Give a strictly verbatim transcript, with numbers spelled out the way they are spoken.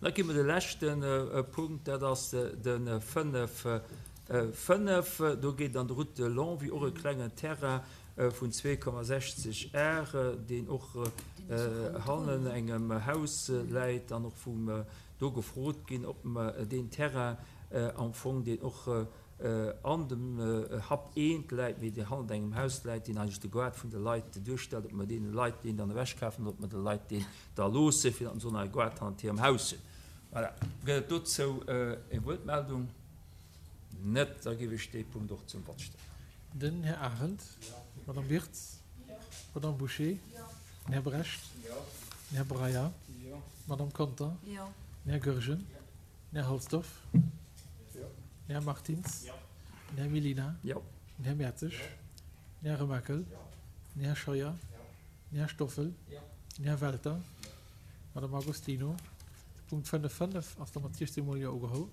Da gi mer de leschte Punkt, dat ass de fënnef fënnef. Do geet an der Route de Longwy och e klengen Terrain vun zwee Komma sechzeg Ar, deen och hannen engem Haus läit an och vum do gefrot ginn, ob mer deen Terrain am Fong, deen och an dem Happ eent läit, mee deen hannert engem Haus läit, deen eigentlech de Gaart vun de Leit duerstellt, ob mer deene Leit deen dann ewechkafen oder ob mer de Leit deen da loosse, fir datt se och nach e Gaart hannert hirem Haus hunn. Voilà. Gëtt et dozou eng Wuertmeldung? Net. Da géif ech dee Punkt och zum Vott stellen. Den Här Arendt. D'Madame Wirtz. D'Madame Bouché. Den Här Brecht. Den Här Breyer. D'Madame Conter. Den Här Goergen. Den Här Halsdorf. Den Här Martins. Den Här Mellina. Den Här Mertzig. Den Här Remakel. Den Här Scheuer. Den Här Stoffel. Den Här Welter. D'Madame Agostino. De Punkt fënnef fënnef ass da mat siechzehn mol Jo ugeholl.